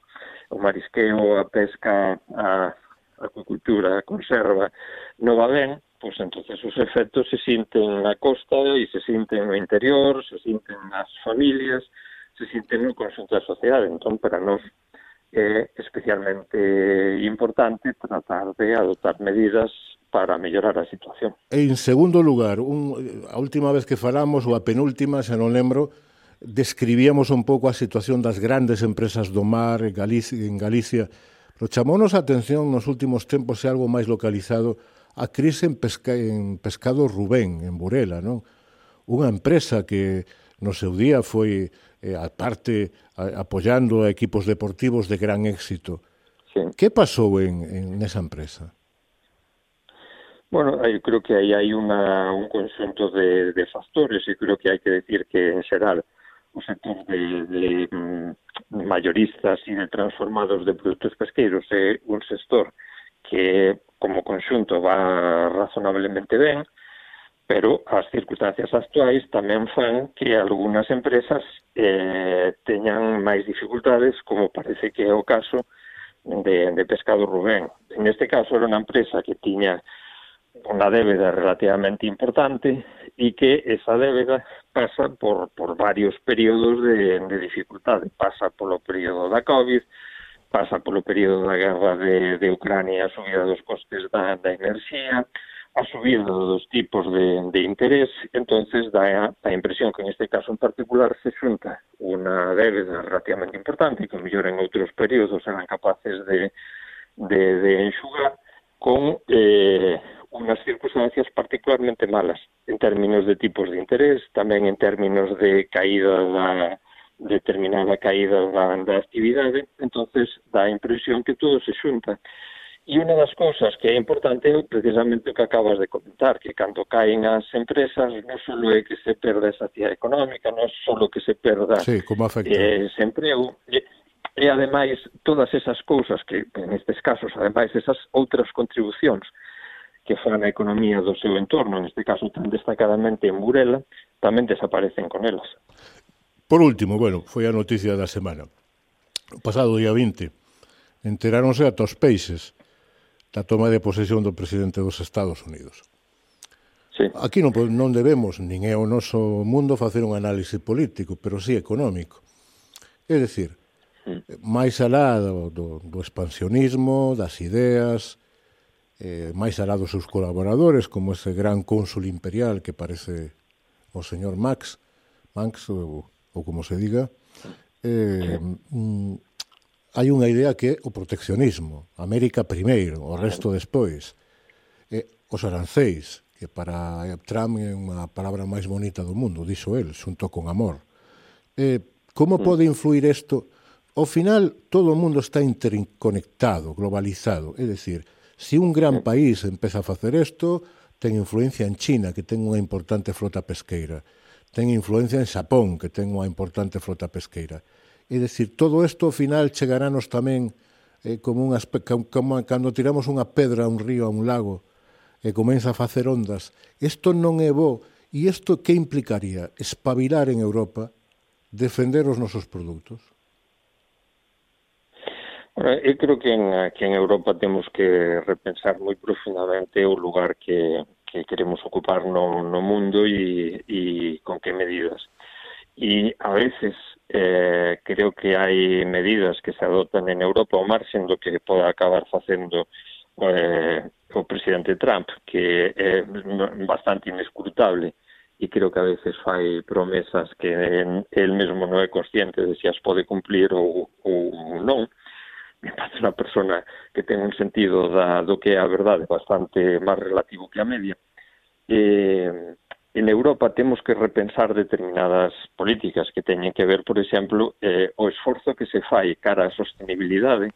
o marisqueo, a pesca, a acuicultura, a conserva, non va ben, pois entonces os efectos se sinten na costa e se sinten no interior, se sinten nas familias, se sinten no conxunto da sociedade. Entón, para nós é especialmente importante tratar de adoptar medidas para mellorar a situación. En segundo lugar, un, a última vez que falamos, ou a penúltima, xa non lembro, describíamos un pouco a situación das grandes empresas do mar en Galicia, en Galicia, pero chamounos a atención nos últimos tempos é algo máis localizado a crise en, pesca, en Pescado Rubén, en Burela, non? Unha empresa que no seu día foi, eh, a parte, a, apoyando a equipos deportivos de gran éxito. Sí. Que pasou en, en esa empresa? Bueno, eu creo que aí hai una, un conxunto de, de factores e creo que hai que decir que, en xeral, o sector de, de mm, mayoristas e de transformados de produtos pesqueiros é un sector que, como conxunto, va razonablemente ben, pero as circunstancias actuais tamén fan que algunhas empresas eh, teñan máis dificultades, como parece que é o caso de, de Pescado Rubén. En este caso era unha empresa que tiña unha débeda relativamente importante e que esa débeda pasa por, por varios períodos de, de dificultade. Pasa polo período da COVID, pasa polo período da guerra de, de Ucrania, a subida dos costes da, da enerxía, a subida dos tipos de, de interés. Entonces dá a impresión que en este caso en particular se xunta unha débeda relativamente importante que mellor en outros períodos eran capaces de, de, de enxugar con eh, unhas circunstancias particularmente malas en términos de tipos de interés, tamén en términos de caída da, determinada caída da, da actividade, entonces dá a impresión que todo se xunta. E unha das cousas que é importante é precisamente o que acabas de comentar, que cando caen as empresas non só é que se perda esa actividade económica, non só que se perda sí, como afecta. Eh, ese emprego, e, e ademais todas esas cousas que, en estes casos, ademais esas outras contribucións que fan a economía do seu entorno, en este caso tan destacadamente en Burela, tamén desaparecen con elas. Por último, bueno, foi a noticia da semana. O pasado día vinte, enteráronse ata os peixes da toma de posesión do presidente dos Estados Unidos. Sí. Aquí non, non debemos, nin é o noso mundo, facer un análise político, pero sí económico. É dicir, mm. máis alá do, do, do expansionismo, das ideas, eh, máis alá dos seus colaboradores, como ese gran cónsul imperial que parece o señor Max, Max, ou, ou como se diga, eh, mm, hai unha idea que é o proteccionismo. América primeiro, o resto despois. E os arancéis, que para Trump é unha palabra máis bonita do mundo, dixo el, xunto con amor. E como pode influir isto? Ao final, todo o mundo está interconectado, globalizado. É dicir, se un gran país empeza a facer isto, ten influencia en China, que ten unha importante flota pesqueira. Ten influencia en Xapón, que ten unha importante flota pesqueira. É dicir, todo isto ao final chegarános tamén eh, como, un aspecto, como cando tiramos unha pedra a un río, a un lago, e comeza a facer ondas. Isto non é bo. E isto que implicaría? Espabilar en Europa, defender os nosos produtos? Bueno, eu creo que en, que en Europa temos que repensar moi profundamente o lugar que, que queremos ocupar no, no mundo e, e con que medidas. E a veces eh, creo que hai medidas que se adotan en Europa ao marxen do que poda acabar facendo eh, o presidente Trump, que é bastante inescrutable e creo que a veces fai promesas que el mesmo non é consciente de se as pode cumplir ou, ou non. Me parece unha persona que ten un sentido da, do que é a verdade bastante máis relativo que a media. E en Europa temos que repensar determinadas políticas que teñen que ver, por exemplo, eh, o esforzo que se fai cara á sostenibilidade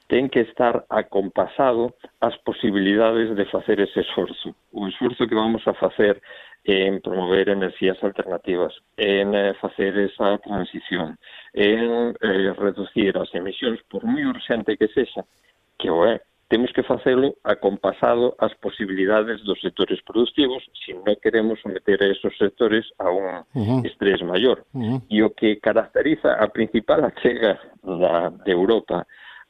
ten que estar acompasado ás posibilidades de facer ese esforzo. O esforzo que vamos a facer en promover enerxías alternativas, en eh, facer esa transición, en eh, reducir as emisións, por moi urxente que sexa, que o é, temos que facelo acompasado ás posibilidades dos sectores productivos se non queremos someter a esos sectores a un uh-huh. estrés maior. Uh-huh. E o que caracteriza a principal achega da, de Europa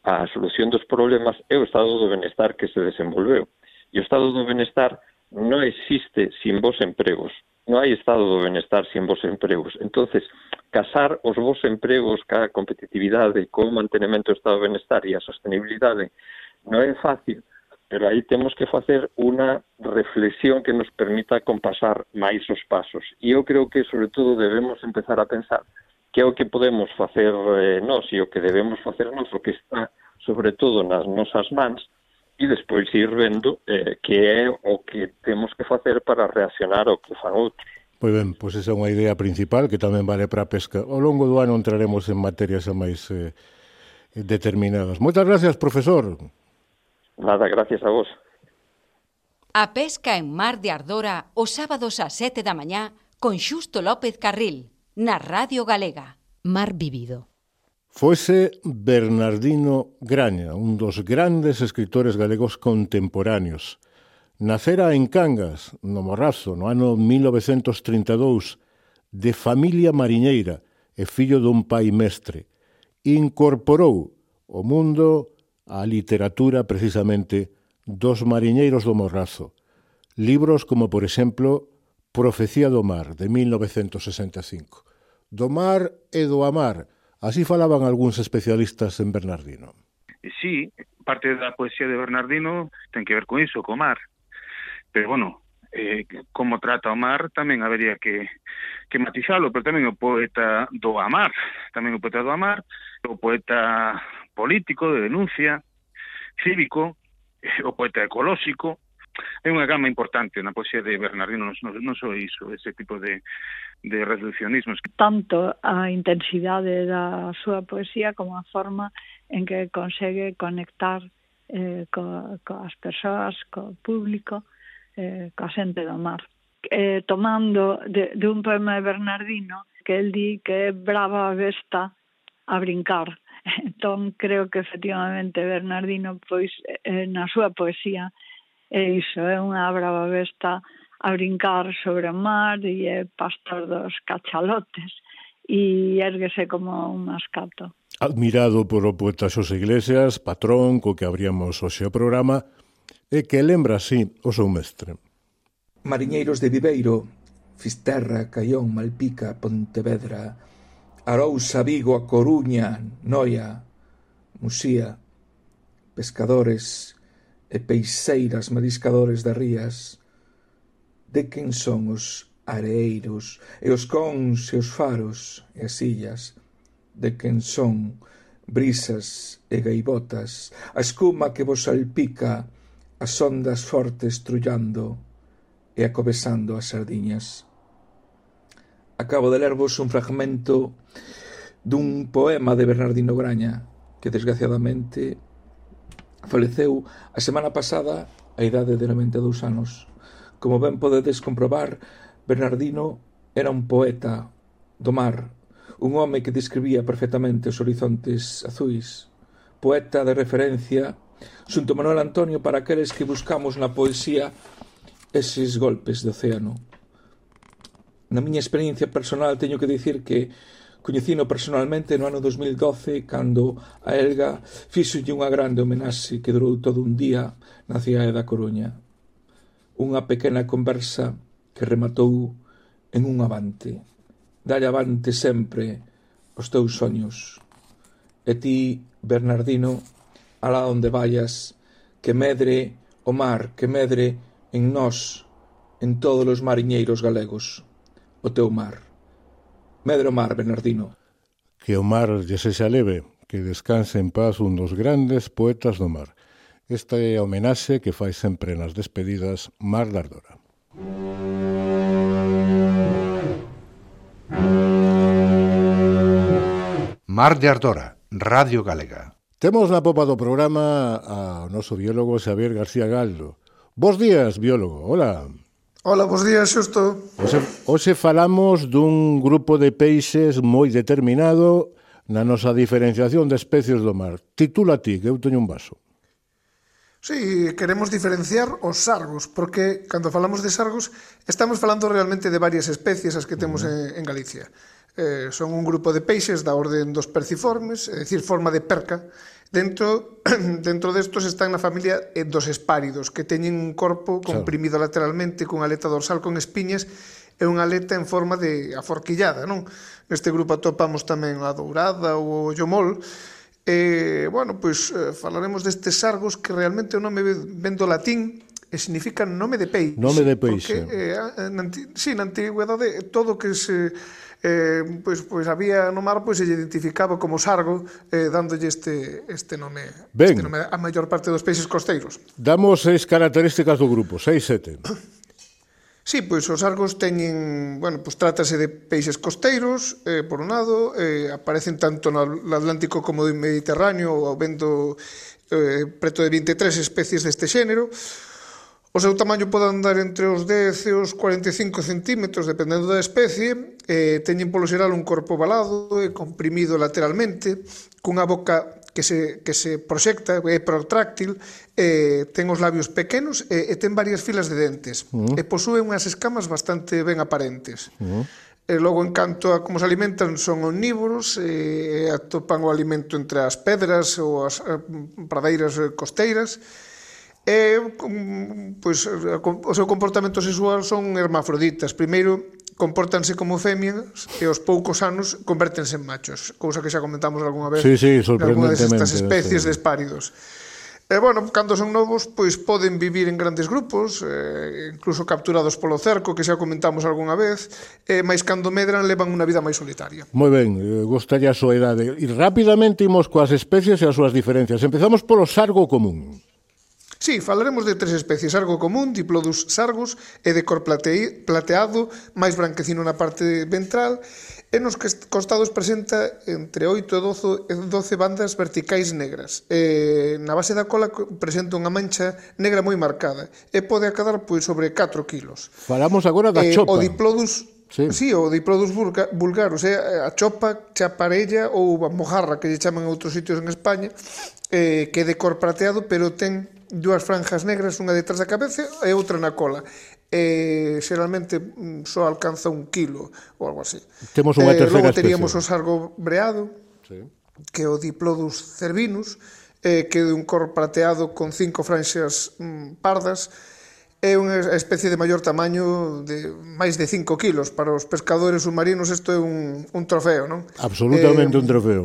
á solución dos problemas é o estado do benestar que se desenvolveu. E o estado do benestar non existe sin vos empregos. Non hai estado do benestar sin vos empregos. Entonces, casar os vos empregos ca competitividade, co mantenimento do estado do benestar e a sostenibilidade non é fácil, pero aí temos que facer unha reflexión que nos permita compasar máis os pasos. E eu creo que, sobre todo, debemos empezar a pensar que é o que podemos facer eh, nós e o que debemos facer nós, o que está, sobre todo, nas nosas mans, e despois ir vendo eh, que é o que temos que facer para reaccionar ao que fan outros. Pois ben, pois esa é unha idea principal que tamén vale para a pesca. Ao longo do ano entraremos en materias máis eh, determinadas. Moitas gracias, profesor. Nada, gracias a vos. A pesca en Mar de Ardora os sábados ás sete da mañá con Xusto López Carril, na Radio Galega. Mar vivido. Foise Bernardino Graña, un dos grandes escritores galegos contemporáneos. Nacera en Cangas, no Morrazo, no ano mil novecentos trinta e dous, de familia mariñeira e fillo dun pai mestre. Incorporou o mundo a literatura, precisamente, dos mariñeiros do Morrazo. Libros como, por exemplo, Profecía do mar, de mil novecentos sesenta e cinco. Do mar e do amar, así falaban algúns especialistas en Bernardino. Sí, parte da poesía de Bernardino ten que ver con iso, co mar. Pero, bueno, eh, como trata o mar tamén habería que, que matizalo, pero tamén o poeta do amar, tamén o poeta do amar, o poeta político, de denuncia, cívico, o poeta ecolóxico, hai unha gama importante na poesía de Bernardino, non, non só iso, ese tipo de, de reduccionismos. Tanto a intensidade da súa poesía como a forma en que consegue conectar eh, co, coas persoas, co público, eh, coa xente do mar. Eh, tomando de, de un poema de Bernardino que el di que é brava a besta a brincar. Entón, creo que efectivamente Bernardino, pois, eh, na súa poesía, é iso, é unha brava besta a brincar sobre o mar e é pastor dos cachalotes e érguese como un mascato. Admirado por o poeta Xosé Iglesias, patrón co que abríamos hoxe o programa, e que lembra así o seu mestre. Mariñeiros de Viveiro, Fisterra, Caión, Malpica, Pontevedra, Arousa, Vigo, A Coruña, Noia, Musía, pescadores e peixeiras, mariscadores das rías, de quen son os areeiros e os cons e os faros e as illas, de quen son brisas e gaivotas, a escuma que vos salpica, as ondas fortes trullando e acobesando as sardiñas. Acabo de lervos un fragmento dun poema de Bernardino Graña, que desgraciadamente faleceu a semana pasada a idade de noventa e dous anos. Como ben podedes comprobar, Bernardino era un poeta do mar, un home que describía perfectamente os horizontes azuis, poeta de referencia xunto Manuel Antonio para aqueles que buscamos na poesía eses golpes de océano. Na miña experiencia personal teño que dicir que coñecino personalmente no ano dos mil doce cando a Elga fíxolle unha grande homenaxe que durou todo un día na cidade da Coruña. Unha pequena conversa que rematou en un avante. Dalle avante sempre os teus soños. E ti, Bernardino, alá onde vayas, que medre o mar, que medre en nós, en todos os mariñeiros galegos, o teu mar. Medre o mar, Bernardino. Que o mar lle sexa leve, que descanse en paz un dos grandes poetas do mar. Esta é a homenaxe que fai sempre nas despedidas Mar de Ardora. Mar de Ardora, Radio Galega. Temos na popa do programa ao noso biólogo Xavier García Galdo. Bos días, biólogo. Hola. Hola, bos días, Xusto. Hoxe, hoxe falamos dun grupo de peixes moi determinado na nosa diferenciación de especies do mar. Titula ti, que eu teño un vaso. Sí, queremos diferenciar os sargos, porque cando falamos de sargos estamos falando realmente de varias especies as que temos uh-huh. en, en Galicia. Eh, son un grupo de peixes da orden dos perciformes, é dicir, forma de perca. Dentro, dentro destos están na familia dos espáridos, que teñen un corpo comprimido claro. lateralmente, cunha aleta dorsal con espiñas e unha aleta en forma de aforquillada, non? Neste grupo atopamos tamén a dourada ou o llomol. E, bueno, pois eh, falaremos destes sargos que realmente o nome ven do latín e significa nome de peixe. Nome de peixe. Porque, eh, na, sí, na antigüedade todo que se... Eh, pois, pois había no mar pois se identificaba como sargo eh, dándolle este, este nome ben, este nome a maior parte dos peixes costeiros. Damos seis características do grupo, seis, sete. Sí, pois os sargos teñen, bueno, pois trátase de peixes costeiros, eh, por un lado, eh, aparecen tanto no Atlántico como no Mediterráneo, habendo eh, preto de vinte e tres especies deste xénero. O seu tamaño pode andar entre os dez e os cuarenta e cinco centímetros, dependendo da especie. Eh, teñen polo xeral un corpo ovalado e comprimido lateralmente, cunha boca que se, que se proxecta, é protráctil, eh, ten os labios pequenos e, e ten varias filas de dentes. Uh-huh. E posúe unhas escamas bastante ben aparentes. Uh-huh. E logo, en canto a como se alimentan, son omnívoros, e atopan o alimento entre as pedras ou as eh, pradeiras costeiras. E, pois, o seu comportamento sexual son hermafroditas. Primeiro, compórtanse como femias e aos poucos anos convértense en machos, cousa que xa comentamos algunha vez sí, sí, en algunha destas especies sí. de espáridos. E, bueno, cando son novos, pois poden vivir en grandes grupos, eh, incluso capturados polo cerco, que xa comentamos algunha vez, e máis cando medran levan unha vida máis solitaria. Moi ben, gostalle a súa idade. E rapidamente imos coas especies e as súas diferencias. Empezamos polo sargo común. Sí, falaremos de tres especies: sargo común, Diplodus sargus, e de cor plate... plateado, máis branquecino na parte ventral, e nos costados presenta entre oito e doce bandas verticais negras. E na base da cola presenta unha mancha negra moi marcada, e pode acadar pois sobre catro kilos. Falamos agora da e, chopa. O Diplodus... Sí. sí, o Diplodus vulgar, o sea, a chopa, chaparella ou a mojarra, que lle chaman en outros sitios en España, eh, que é de cor prateado, pero ten dúas franjas negras, unha detrás da cabeza e outra na cola. Eh, xeralmente só alcanza un kilo ou algo así. Temos unha terceira eh, logo teríamos especie. O sargo breado, sí, que é o Diplodus cervinus, eh, que é de un cor prateado con cinco franxas mm, pardas. É unha especie de maior tamaño, de máis de cinco kilos. Para os pescadores submarinos isto é un, un trofeo, non? Absolutamente eh, un trofeo.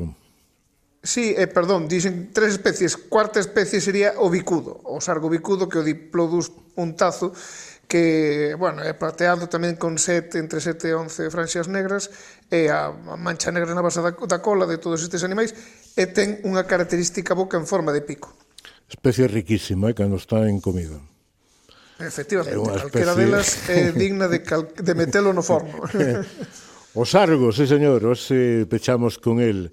Sí, eh, perdón, dixen tres especies. Cuarta especie sería o bicudo, o sargo bicudo, que é o Diplodus puntazo, que, bueno, é plateado tamén con sete, entre sete e once franxas negras, e a mancha negra na base da, da cola de todos estes animais, e ten unha característica boca en forma de pico. Especie riquísima, eh, cando está en comida. Efectivamente, calquera delas é digna de, cal... de metelo no forno. O sargo, sí señor, hoxe pechamos con el.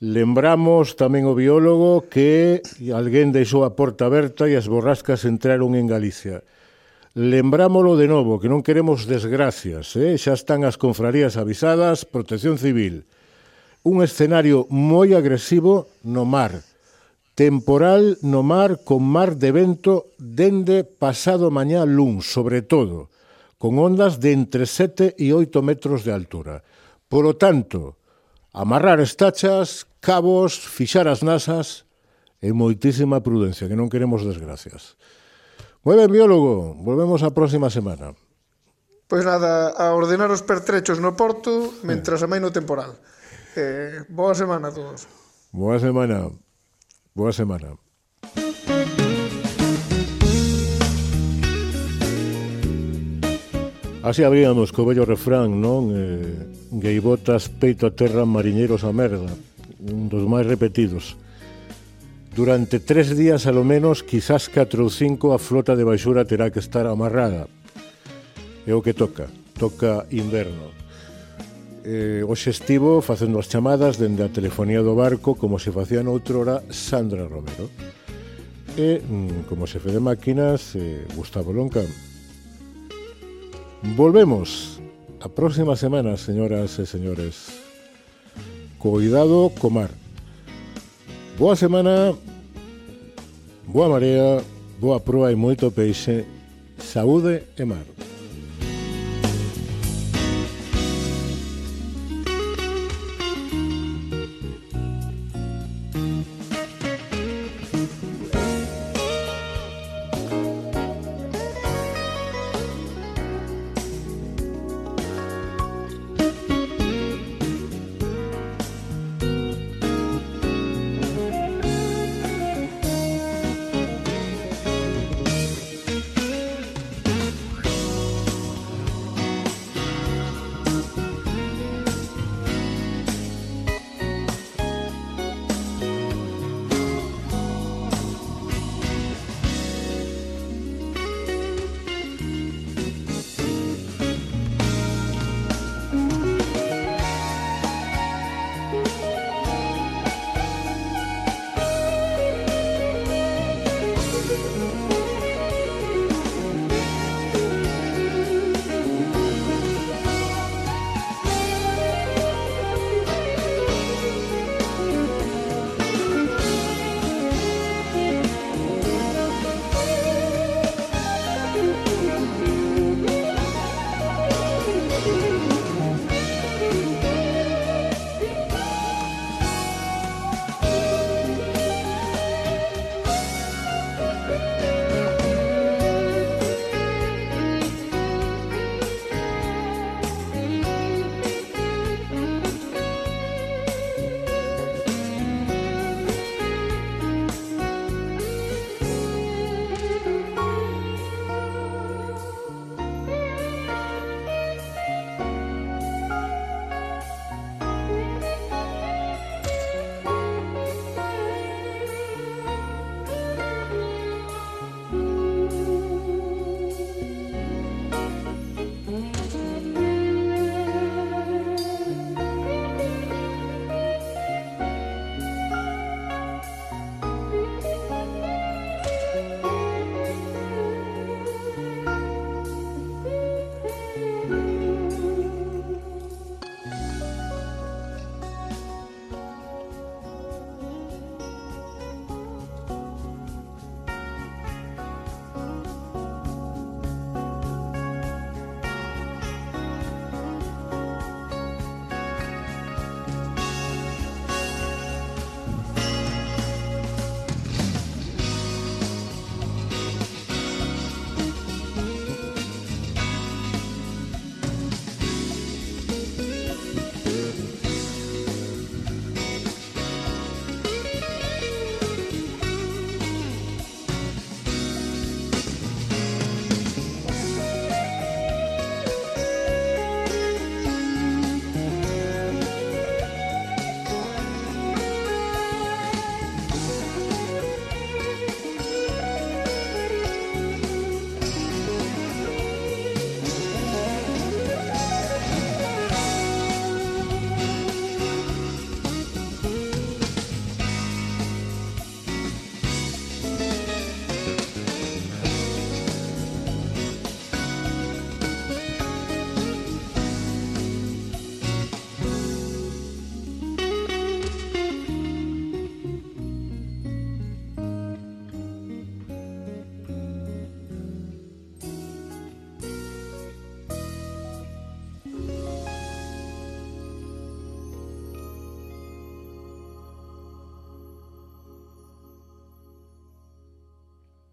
Lembramos tamén o biólogo que alguén deixou a porta aberta e as borrascas entraron en Galicia. Lembrámolo de novo, que non queremos desgracias, eh? Xa están as confrarías avisadas, Protección Civil. Un escenario moi agresivo no mar. Temporal no mar con mar de vento dende pasado mañá luns, sobre todo, con ondas de entre sete e oito metros de altura. Por lo tanto, amarrar estachas, cabos, fixar as nasas e moitísima prudencia, que non queremos desgracias. Moi ben, biólogo, volvemos a próxima semana. Pois nada, a ordenar os pertrechos no porto mentras amaino o temporal. Eh, boa semana a todos. Boa semana. Boa semana. Así abríamos co bello refrán, non? Eh, Gaivotas, peito a terra, mariñeiros a merda. Un dos máis repetidos. Durante tres días, a lo menos, quizás catro ou cinco, a flota de baixura terá que estar amarrada. É o que toca. Toca inverno. Eh, hoxe estivo facendo as chamadas dende a telefonía do barco como se facía noutrora Sandra Romero e mm, como xefe de máquinas eh, Gustavo Lonca. Volvemos a próxima semana, señoras e señores. Cuidado co mar. Boa semana, boa marea, boa proa e moito peixe. Saúde e mar.